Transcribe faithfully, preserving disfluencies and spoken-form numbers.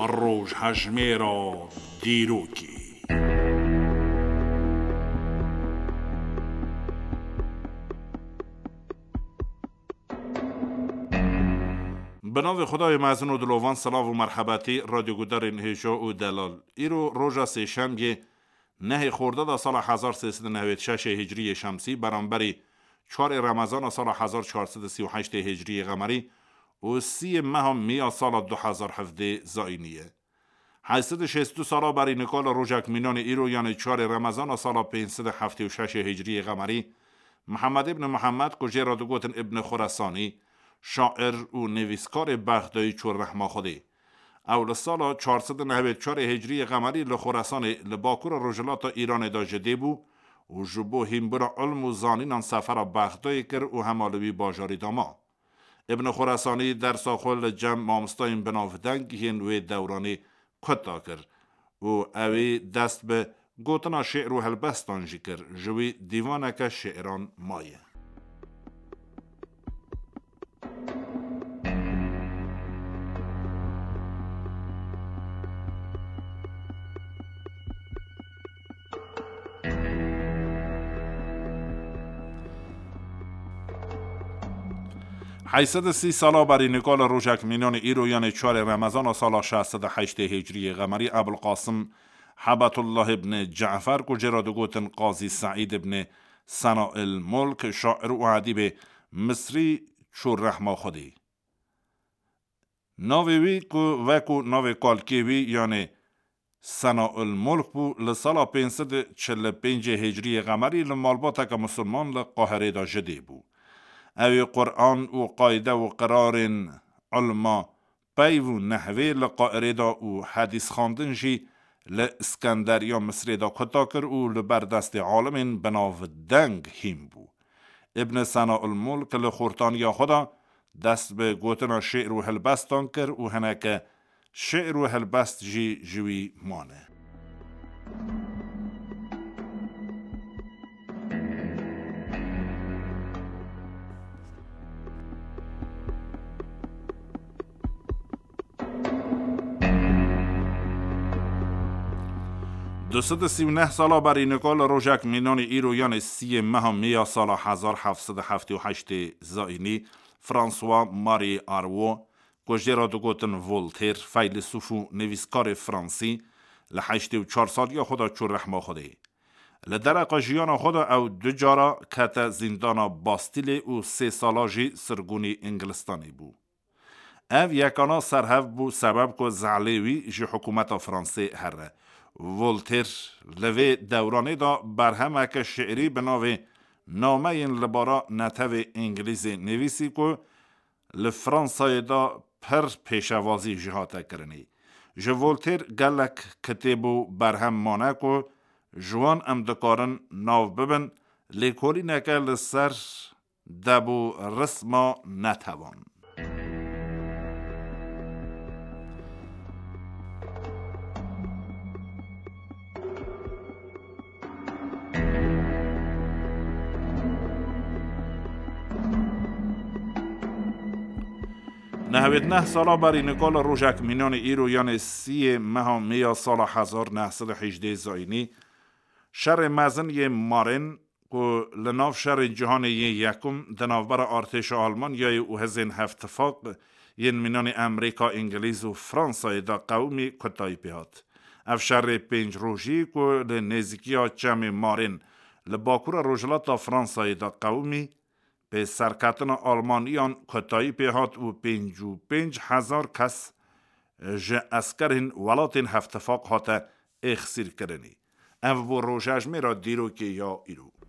Rojhejmêra dîrokê. Bi navê Xwedayê mezin û dilovan, silav û merhebetî radyogudarên hêja û delal. Îro roja sêşemiyê, nehê Xordada sala hezar sê sed û newêd şeşê hicriyê şemsî, beramberî çarê Remezana sala hezar çar sed û sî û heştê hicriyê qemerî û sîyê meha Mîya sala du hezar hevdê zayînî ye. Heyt sed û şêst û du sala berî nika li rojek mînanê îro, yanê çarê Remezana sala pênc sed û heftê û şeşê hicriyê qemerî, Mihemed îbn Mihemed, ku jê re digotin Îbn Xuresanî, şair û nivîskarê Bexdayî çû rehma Xwedê. Ew li sala çar sed û newêd çarê hicriyê qemerî li Xuresanê, li bakura rojhilata Îranê de ji dê bû û ji bo hînbûna ilm û zanînan sefera Bexdayê kir û hema li wî bajarî de ma. Îbn Xuresanî dersa xwe li cem mamostayên binavdeng yên wê dewranê kuta kir û ewî dest bi gotina şi'r û helbestan jî kir. Ji wî dîwaneke şi'ran maye. Heyt sed û sî sala berî nika li rojek mînanê îro, yanê çarê Remezana sala şeş sed û heştê hicriyê qemerî, Ebul Qasim Hebetullah ibn Cefer, ku jê re digotin Qazî Seîd ibn Senail Mulk, şair û edîbê Misrî, çû rehma Xwedê. Navê wî ku wekû navê kalkê wî, yanê Senaul Mulk bû, li sala pênc sed û çil û pêncê hicriyê qemerî li malbateke misilman li Qahirê de ji dê bû. Ew ê Quran û qayde û qirarên ilma peyv û nehvê li Qahirê de û hedîsxandin jî li Iskenderiya Misrê de kuta kir û li ber destê alimên binavdeng hîn bû. Îbn Senaul Mulk li xortaniya xwe de dest bi gotina şi'r û helbestan kir û hineke şi'r û helbest jî ji wî mane. Du sed û sî û neh sala berî nika li rojek mînanê îro, yanê sîyê meha Mîya sala hezar heft sed û heftê û heştê zayînî, François Marie Arnaud, ku jê re digotin Voltaire, feylesûf û nivîskarê fransî, li heştê û çar saliya xwe de çû rehma Xwedê. Li dereqa jiyana xwe de ew du cara kete zîndana Bastîlê û sê sala jî sirgûnî Îngilistanê bû. Ev yekana serhev bû, sebeb ku zehlê wî ji hikûmeta Fransê here. Voltaire li vê dewranê de berhemeke şi'rî bi navê Nameyên li bara netewê Îngilîzê nivîsî ku li Fransayê de pir pêşevazî jî hate kirinê. Ji Voltaire gelek kitêb û berhem mane ku ji wan em dikarin nav bibin, lêkolîneke li ser deb û risma netewan. Nehwêd neh sala berî nika li rojek mînanê îro, yanê sîyê meha Mê ya sala hezar neh sed û hejdê zayînî, şerê mezin yê Marên, ku li nav şerên cîhanê yê yekum di navbera artêşa Almanyayê û hizên hevtifaq yên mînanê Amerîka, Îngilîz û Fransayê de qewimî, kutayî pê hat. Ev şerê pênc rojî ku li nêzîkiya çemê Marên li bakura rojhilata Fransayê de qewimî, pê serketina Almaniyan kutayî pê hat û pêncî û pênc hezar kes ji eskerên welatên hevtifaq hate êxsîrkirinê. Ev bû rojejmêra dîrokê ya îro.